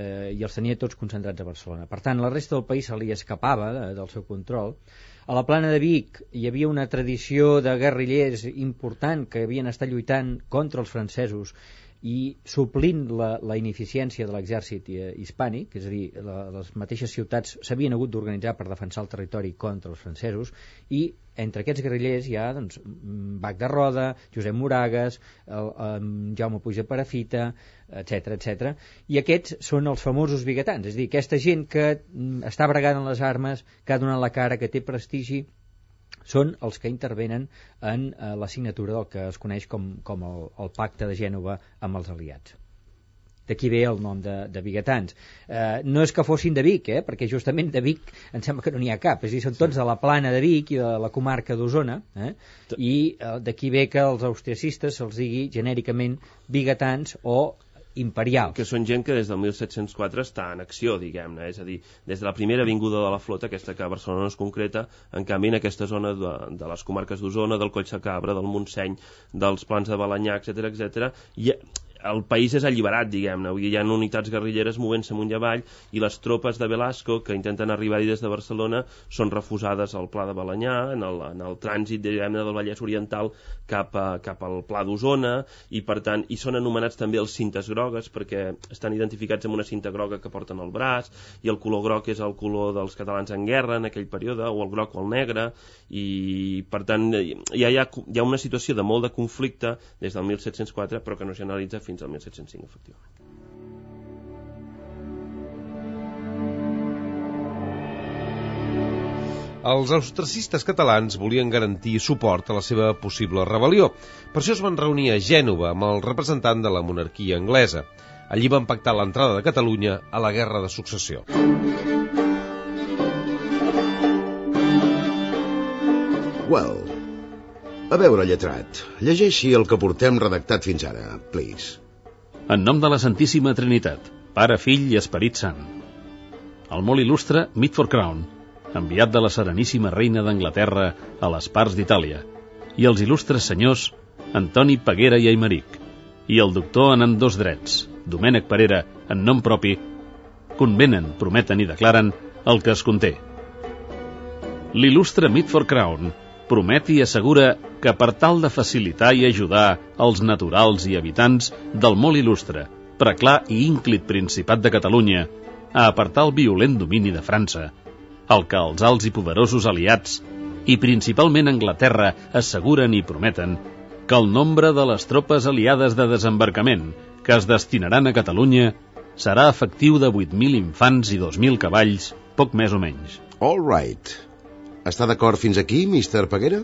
els tenia tots concentrats a Barcelona. Per tant, la resta del país se li escapava del seu control. A la plana de Vic hi havia una tradició de guerrillers important que havien estat lluitant contra els francesos i suplint la ineficiència de l'exèrcit hispànic, és a dir, les mateixes ciutats s'havien hagut d'organitzar per defensar el territori contra els francesos, i entre aquests guerrillers hi ha Bac de Roda, Josep Moragues, Jaume Puig de Perafita, etc. I aquests són els famosos bigatans, és a dir, aquesta gent que està bregant en les armes, que ha donat la cara, que té prestigi, són els que intervenen en la signatura del que es coneix com el Pacte de Gènova amb els aliats. D'aquí ve el nom de bigatans. No és que fossin de Vic, perquè justament de Vic em sembla que no n'hi ha cap, és a dir, són tots de la plana de Vic i de la comarca d'Osona, i d'aquí ve que els austriacistes se'ls digui genèricament bigatans o imperials. Que són gent que des del 1704 està en acció, diguem-ne, és a dir, des de la primera vinguda de la flota, aquesta que a Barcelona no es concreta, en canvi en aquesta zona de les comarques d'Osona, del Collsacabra, del Montseny, dels Plans de Balanyà, etc., i el país és alliberat, diguem-ne. Hi ha unitats guerrilleres movent-se amunt i avall, i les tropes de Velasco, que intenten arribar-hi des de Barcelona, són refusades al Pla de Balanyà, en el trànsit, diguem-ne, del Vallès Oriental cap al Pla d'Osona, i per tant, hi són anomenats també els cintes grogues, perquè estan identificats amb una cinta groga que porten al braç, i el color groc és el color dels catalans en guerra en aquell període, o el groc o el negre, i per tant hi ha una situació de molt de conflicte des del 1704, però que no generalitza fins al 1705, efectivament. Els austriacistes catalans volien garantir suport a la seva possible rebel·lió. Per això es van reunir a Gènova amb el representant de la monarquia anglesa. Allí van pactar l'entrada de Catalunya a la Guerra de Successió. Well, a veure, lletrat, llegeixi el que portem redactat fins ara, please. En nom de la Santíssima Trinitat, Pare, Fill i Esperit Sant. El molt il·lustre Mitford Crown, enviat de la Sereníssima Reina d'Anglaterra a les parts d'Itàlia, i els il·lustres senyors Antoni Peguera i Aimeric, i el doctor en ambdós drets, Domènec Parera, en nom propi, convenen, prometen i declaren el que es conté. L'il·lustre Mitford Crown promet i assegura que per tal de facilitar i ajudar els naturals i habitants del molt il·lustre, preclar i ínclit Principat de Catalunya a apartar el violent domini de França, el que els alts i poderosos aliats, i principalment Anglaterra, asseguren i prometen que el nombre de les tropes aliades de desembarcament que es destinaran a Catalunya serà efectiu de 8.000 infants i 2.000 cavalls, poc més o menys. All right. Està d'acord fins aquí, Mr. Peguera?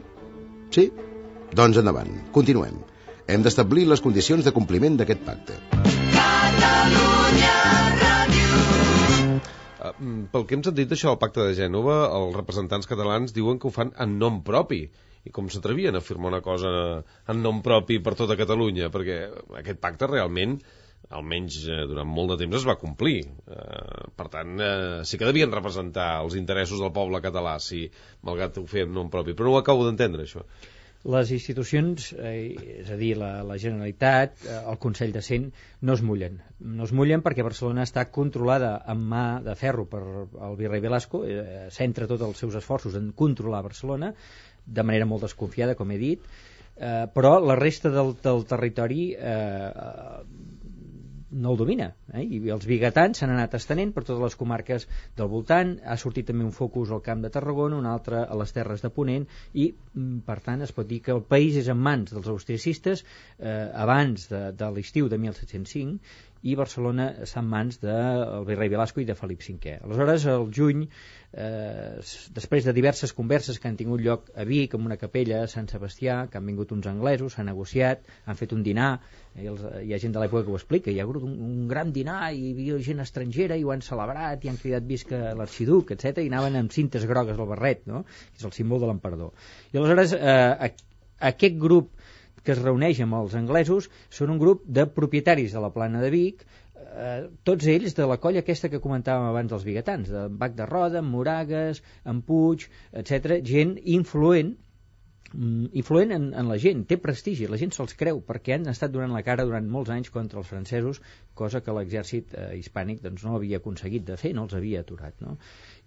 Sí? Doncs endavant, continuem. Hem d'establir les condicions de compliment d'aquest pacte. Catalunya Ràdio. Pel que hem sentit d'això del pacte de Gènova, els representants catalans diuen que ho fan en nom propi. I com s'atrevien a firmar una cosa en nom propi per tota Catalunya? Perquè aquest pacte realment, almenys durant molt de temps, es va complir. Per tant, sí que devien representar els interessos del poble català, si malgrat ho feien en nom propi. Però no ho acabo d'entendre, això. Les institucions, és a dir, la Generalitat, el Consell de Cent, no es mullen. No es mullen perquè Barcelona està controlada amb mà de ferro per el virrei Velasco, centra tots els seus esforços en controlar Barcelona, de manera molt desconfiada, com he dit, però la resta del territori no el domina, i els bigatans s'han anat estenent per totes les comarques del voltant. Ha sortit també un focus al Camp de Tarragona, un altre a les Terres de Ponent, i per tant es pot dir que el país és en mans dels austriacistes abans de l'estiu de 1705, i Barcelona està en mans del virrei Velasco i de Felip V. Aleshores, al juny, després de diverses converses que han tingut lloc a Vic, en una capella a Sant Sebastià, que han vingut uns anglesos, s'han negociat, han fet un dinar, hi ha gent de l'època que ho explica, hi ha hagut un gran dinar, i hi havia gent estrangera, i ho han celebrat, i han cridat visca l'arxiduc, etc., i anaven amb cintes grogues al barret, no? Que és el símbol de l'emperador. I aleshores, aquest grup que es reuneix amb els anglesos són un grup de propietaris de la plana de Vic, tots ells de la colla aquesta que comentàvem abans dels biguetans, de Bac de Roda, Moragues, en Puig, etc., gent influent en la gent, té prestigi, la gent se'ls creu perquè han estat donant la cara durant molts anys contra els francesos, cosa que l'exèrcit hispànic doncs, no havia aconseguit de fer, no els havia aturat, no?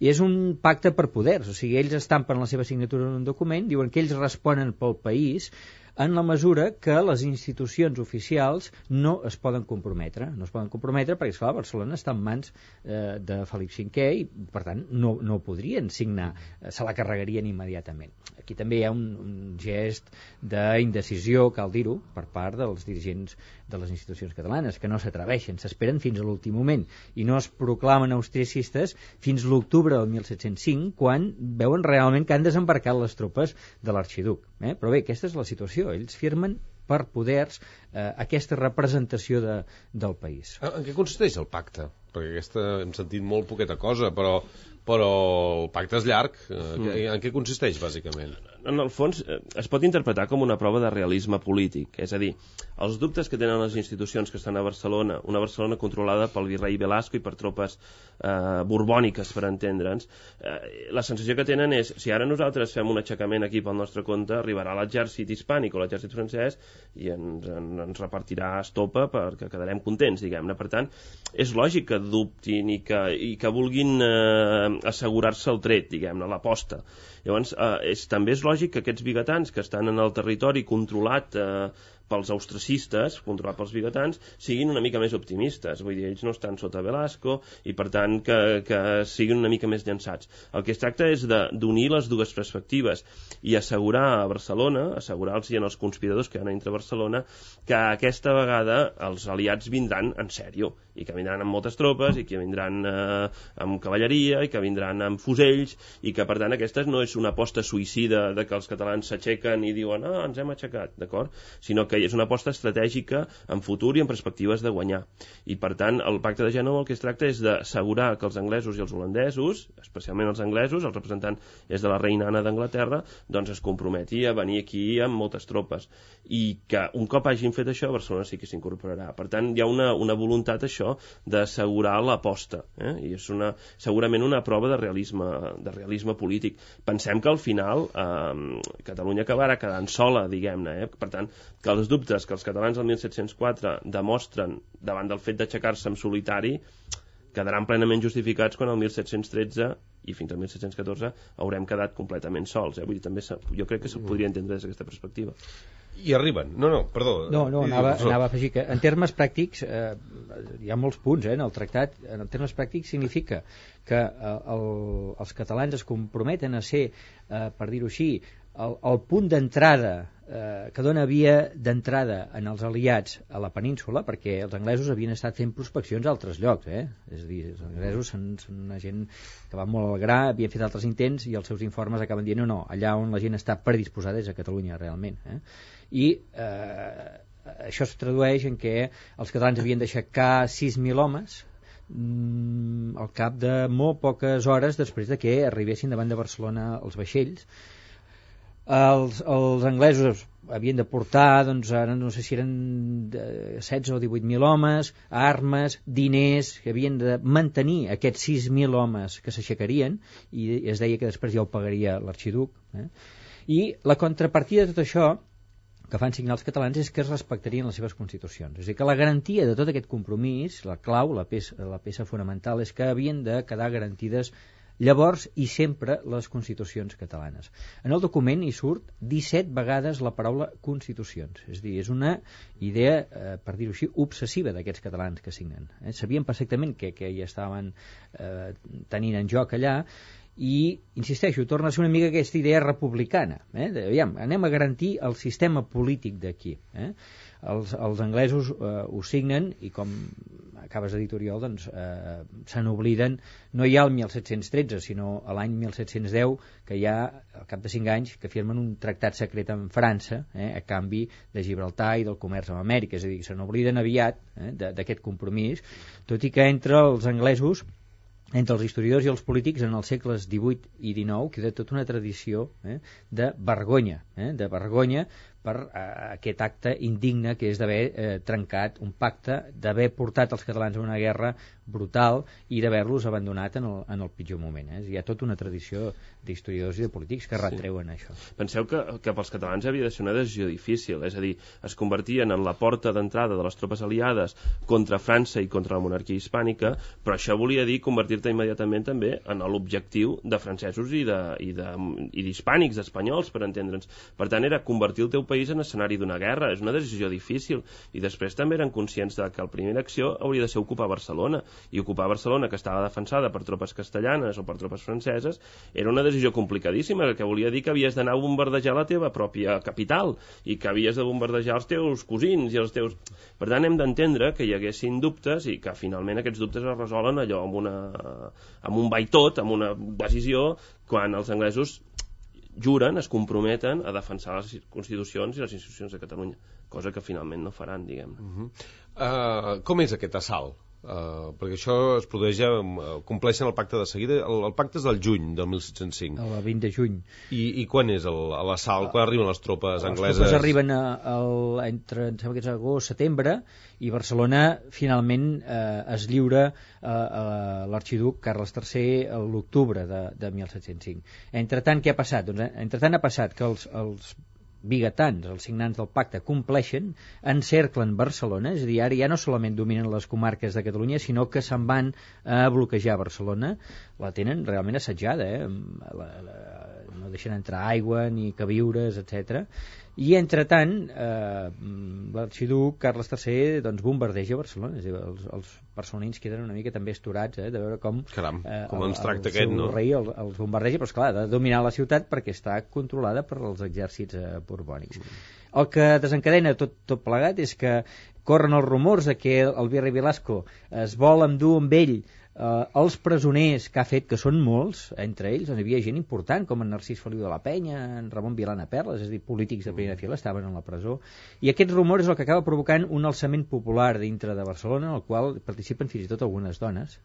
I és un pacte per poders, o sigui, ells estampen la seva signatura en un document, diuen que ells responen pel país en la mesura que les institucions oficials no es poden comprometre. No es poden comprometre perquè, esclar, Barcelona està en mans de Felip V i, per tant, no podrien signar, se la carregarien immediatament. Aquí també hi ha un gest d'indecisió, cal dir-ho, per part dels dirigents de les institucions catalanes, que no s'atreveixen, s'esperen fins a l'últim moment i no es proclamen austriacistes fins l'octubre del 1705, quan veuen realment que han desembarcat les tropes de l'arxiduc. Però bé, aquesta és la situació. Ells firmen per poders aquesta representació del país. En què consisteix el pacte? Perquè aquesta hem sentit molt poqueta cosa, però el pacte és llarg. En què consisteix, bàsicament? En el fons, es pot interpretar com una prova de realisme polític. És a dir, els dubtes que tenen les institucions que estan a Barcelona, una Barcelona controlada pel virrei Velasco i per tropes borbòniques, per entendre'ns, la sensació que tenen és, si ara nosaltres fem un aixecament aquí pel nostre compte, arribarà l'exèrcit hispànic o l'exèrcit francès i ens repartirà estopa perquè quedarem contents, diguem-ne. Per tant, és lògic que dubtin i que vulguin assegurar-se el tret, diguem-ne, l'aposta. Llavors, també és lògic que aquests biguetans que estan en el territori controlat pels austriacistes, controlat pels biguetans, siguin una mica més optimistes. Vull dir, ells no estan sota Velasco i, per tant, que siguin una mica més llançats. El que es tracta és d'unir les dues perspectives i assegurar a Barcelona, assegurar-los i als conspiradors que hi ha entre Barcelona, que aquesta vegada els aliats vindran en sèrio i que vindran amb moltes tropes i que vindran amb cavalleria i que vindran amb fusells i que, per tant, aquesta no és una aposta suïcida de que els catalans s'aixequen i diuen ens hem aixecat, d'acord? Sinó que és una aposta estratègica en futur i en perspectives de guanyar. I, per tant, el pacte de Gènova el que es tracta és d'assegurar que els anglesos i els holandesos, especialment els anglesos, el representant és de la reina Anna d'Anglaterra, doncs es comprometi a venir aquí amb moltes tropes. I que un cop hagin fet això, Barcelona sí que s'incorporarà. Per tant, hi ha una voluntat, això, d'assegurar l'aposta. I és segurament una prova de realisme polític. Pensem que al final Catalunya acabarà quedant sola, diguem-ne. Per tant, que els dubtes que els catalans del 1704 demostren davant del fet d'aixecar-se en solitari quedaran plenament justificats quan el 1713 i fins al 1714 haurem quedat completament sols. Vull dir, també jo crec que se podria entendre des d'aquesta perspectiva. I arriben. Perdó. Anava a afegir que en termes pràctics hi ha molts punts en el tractat. En termes pràctics significa que els catalans es comprometen a ser, per dir-ho així, el punt d'entrada que dona via d'entrada en els aliats a la península, perquè els anglesos havien estat fent prospeccions a altres llocs, és a dir, els anglesos són una gent que va molt al gra, havien fet altres intents i els seus informes acaben dient no, allà on la gent està predisposada és a Catalunya realment, i això es tradueix en què els catalans havien d'aixecar 6.000 homes al cap de molt poques hores després de que arribessin davant de Barcelona els vaixells. Els anglesos havien de portar, doncs ara no sé si eren 16 o 18.000 homes, armes, diners, que havien de mantenir aquests 6.000 homes que s'aixecarien, i es deia que després ja ho pagaria l'arxiduc. I la contrapartida de tot això que fan signar els catalans és que es respectarien les seves constitucions. És a dir, que la garantia de tot aquest compromís, la clau, la peça fonamental, és que havien de quedar garantides llavors i sempre les constitucions catalanes. En el document hi surt 17 vegades la paraula constitucions. És a dir, és una idea, per dir-ho així, obsessiva d'aquests catalans que signen. Sabien perfectament que hi estaven tenint en joc allà i, insisteixo, torna a ser una mica aquesta idea republicana. Aviam, anem a garantir el sistema polític d'aquí. Els anglesos ho signen i com acabes d'editorial, doncs se n'obliden, no ja el 1713, sinó a l'any 1710, que hi ha, al cap de 5 anys, que firmen un tractat secret amb França, a canvi de Gibraltar i del comerç amb Amèrica, és a dir, se n'obliden aviat d'aquest compromís, tot i que entre els anglesos, entre els historiadors i els polítics en els segles XVIII i XIX queda tota una tradició de vergonya per aquest acte indigne que és d'haver trencat un pacte, d'haver portat els catalans a una guerra brutal i d'haver-los abandonat en el pitjor moment. Hi ha tota una tradició d'historiadors i de polítics que retreuen això. Penseu que pels catalans havia de ser una decisió difícil, és a dir, es convertien en la porta d'entrada de les tropes aliades contra França i contra la monarquia hispànica, però això volia dir convertir-te immediatament també en l'objectiu de francesos i d'hispànics, d'espanyols, per entendre'ns. Per tant, era convertir el teu país en escenari d'una guerra, és una decisió difícil, i després també eren conscients que la primera acció hauria de ser ocupar Barcelona, i ocupar Barcelona, que estava defensada per tropes castellanes o per tropes franceses, era una decisió complicadíssima, que volia dir que havies d'anar a bombardejar la teva pròpia capital, i que havies de bombardejar els teus cosins i els teus... Per tant, hem d'entendre que hi haguessin dubtes i que finalment aquests dubtes es resolen allò amb un baitot, amb una decisió, quan els anglesos juren, es comprometen a defensar les constitucions i les institucions de Catalunya, cosa que finalment no faran, diguem-ne. Com és aquest assalt? Perquè això es produeix, compleixen el pacte de seguida. El pacte és del juny del 1705. El 20 de juny. I quan és l'assalt? Quan arriben les tropes angleses? Les tropes arriben entre, em sembla que és agost, setembre, i Barcelona finalment es lliura a l'arxiduc Carles III a l'octubre de 1705. Entretant, què ha passat? Doncs, entretant ha passat que els biguetans, els signants del pacte, compleixen, encerclen Barcelona, és a dir, ara ja no solament dominen les comarques de Catalunya, sinó que se'n van a bloquejar Barcelona, la tenen realment assetjada, no deixen entrar aigua ni queviures, etc. I entretant l'arxiduc Carles III doncs bombardeja Barcelona, és a dir, els barcelonins queden una mica també esturats de veure com ens tracta aquest, no? El rei els bombardeja, però esclar, ha de dominar la ciutat perquè està controlada per els exèrcits borbònics. El que desencadena tot plegat és que corren els rumors de que el virrei Velasco es vol endur amb ell els presoners que ha fet, que són molts, entre ells hi havia gent important com en Narcís Feliu de la Penya, en Ramon Vilana Perles, és a dir, polítics de primera fila estaven en la presó, i aquest rumor és el que acaba provocant un alçament popular dintre de Barcelona, en el qual participen fins i tot algunes dones,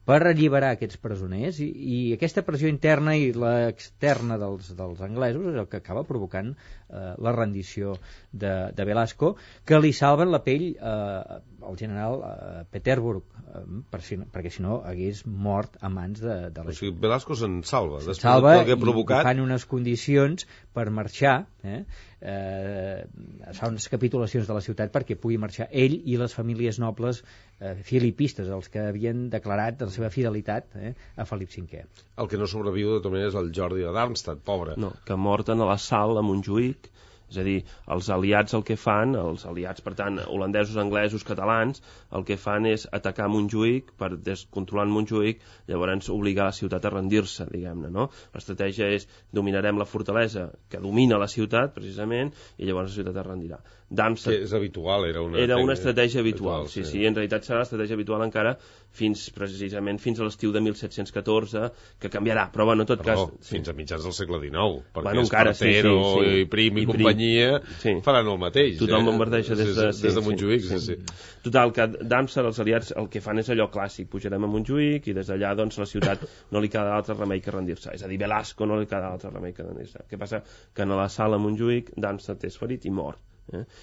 per alliberar aquests presoners, i aquesta pressió interna i l'externa dels anglesos és el que acaba provocant la rendició de Velasco, que li salven la pell al general Petersburg, perquè si no hagués mort a mans de la... O sigui, Velasco se'n salva, i fan unes condicions per marxar, fa unes capitulacions de la ciutat perquè pugui marxar ell i les famílies nobles filipistes, els que havien declarat la seva fidelitat a Felip V. El que no sobreviu de tota manera és el Jordi de Darmstadt, pobre. No, que mort en l'assalt a Montjuïc. És a dir, els aliats el que fan, els aliats, per tant, holandesos, anglesos, catalans, el que fan és atacar Montjuïc per descontrolar Montjuïc, llavors obligar la ciutat a rendir-se, diguem-ne, no? L'estratègia és dominarem la fortalesa que domina la ciutat, precisament, i llavors la ciutat es rendirà. Que és habitual, era una estratègia habitual, sí, en realitat serà l'estratègia habitual encara precisament fins a l'estiu de 1714, que canviarà, però bueno, en tot cas... Fins a mitjans del segle XIX, perquè Espartero i Prim i companyia faran el mateix. Tothom bombardeja des de Montjuïc. Total, que Darmstadt, els aliats, el que fan és allò clàssic, pujarem a Montjuïc i des d'allà, doncs, la ciutat no li queda altre remei que rendir-se. És a dir, Velasco no li queda altre remei que rendir-se. Què passa? Que en la sala a Montjuïc, Darmstadt és ferit i mort.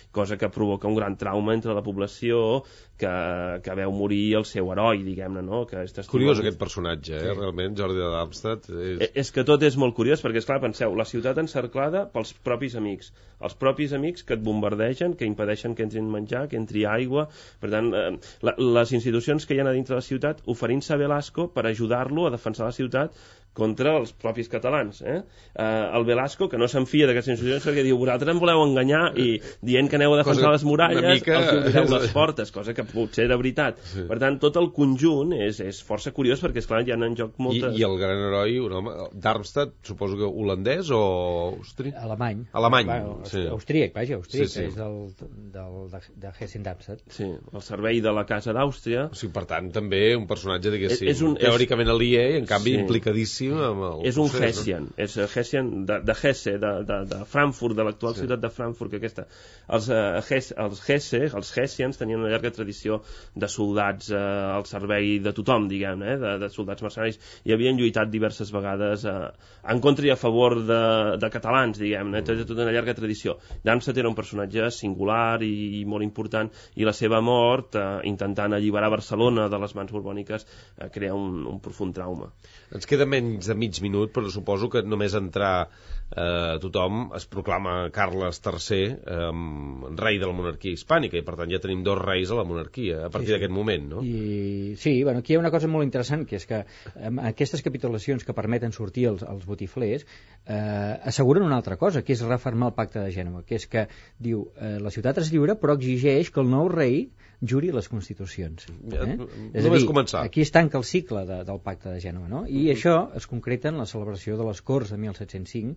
Cosa que provoca un gran trauma entre la població que veu morir el seu heroi, diguem-ne, no? Curiós aquest personatge, realment, Jordi de Darmstadt. És que tot és molt curiós, perquè, esclar, penseu, la ciutat encerclada pels propis amics, els propis amics que et bombardegen, que impedeixen que entrin menjar, que entri aigua. Per tant, les institucions que hi ha a dintre de la ciutat oferint-se a Velasco per ajudar-lo a defensar la ciutat contra els propis catalans. El Velasco, que no se'n fia d'aquestes institucions, perquè diu, vosaltres em voleu enganyar i dient que aneu a defensar les muralles, els obrireu les portes, cosa que potser era veritat. Sí. Per tant, tot el conjunt és força curiós, perquè, esclar, hi ha en joc moltes... I el gran heroi, un home, Darmstadt, suposo que holandès o austríac? Alemany. Sí. Austríac, sí. Sí. És de Hessen-Darmstadt. Sí, el servei de la Casa d'Àustria. O sigui, per tant, també un personatge, diguéssim, teòricament aliè, i en canvi implicadíssim amb el és un Hessian, és Hessian de Hesse, de Frankfurt, de l'actual ciutat de Frankfurt, que aquesta. Els Hessians tenien una llarga tradició de soldats al servei de tothom, diguem-ne, de soldats mercenaris, i havien lluitat diverses vegades en contra i a favor de catalans, diguem-ne, tota una llarga tradició. Darmstadt era un personatge singular i molt important, i la seva mort, intentant alliberar Barcelona de les mans borbòniques, crea un profund trauma. Ens queda menys de mig minut, però suposo que només entrar tothom es proclama Carles III rei de la monarquia hispànica, i per tant ja tenim 2 reis a la monarquia a partir d'aquest moment, no? Sí, aquí hi ha una cosa molt interessant, que és que aquestes capitulacions que permeten sortir els botiflers asseguren una altra cosa, que és refermar el pacte de Gènova, que és que diu, la ciutat és lliure, però exigeix que el nou rei juri les constitucions. És a dir, aquí es tanca el cicle del pacte de Gènova, no? I això es concreta en la celebració de les Corts de 1705,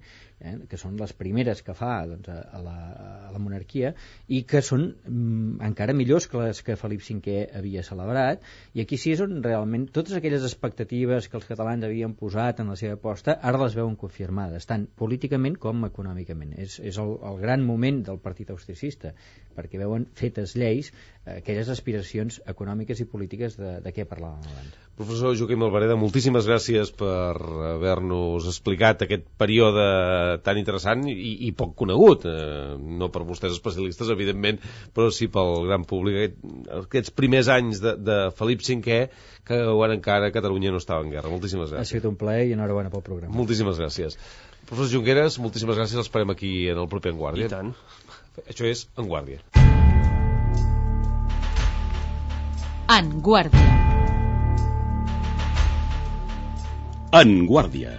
que són les primeres que fa a la monarquia, i que són encara millors que les que Felip V havia celebrat, i aquí sí és on realment totes aquelles expectatives que els catalans havien posat en la seva aposta ara les veuen confirmades, tant políticament com econòmicament. És el gran moment del partit austricista, perquè veuen fetes lleis aquelles aspiracions econòmiques i polítiques de què parlàvem abans. Professor Joaquim Albareda, moltíssimes gràcies per haver-nos explicat aquest període tan interessant i poc conegut, no per vostès especialistes, evidentment, però sí pel gran públic, aquests primers anys de Felip V, que quan encara Catalunya no estava en guerra. Moltíssimes gràcies. Ha sigut un plaer i enhorabona pel programa. Moltíssimes gràcies. Professor Junqueras, moltíssimes gràcies, l'esperem aquí en el proper En Guàrdia. I tant. Això és En Guàrdia. En Guàrdia. En Guàrdia,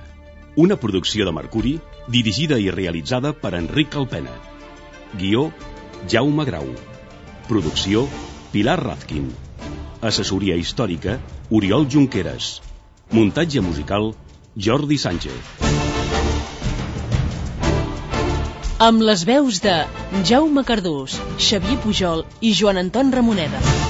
una producció de Mercuri dirigida i realitzada per Enric Calpena. Guió, Jaume Grau. Producció, Pilar Rafkin. Assessoria històrica, Oriol Junqueras. Muntatge musical, Jordi Sánchez. Amb les veus de Jaume Cardús, Xavier Pujol i Joan Anton Ramoneda.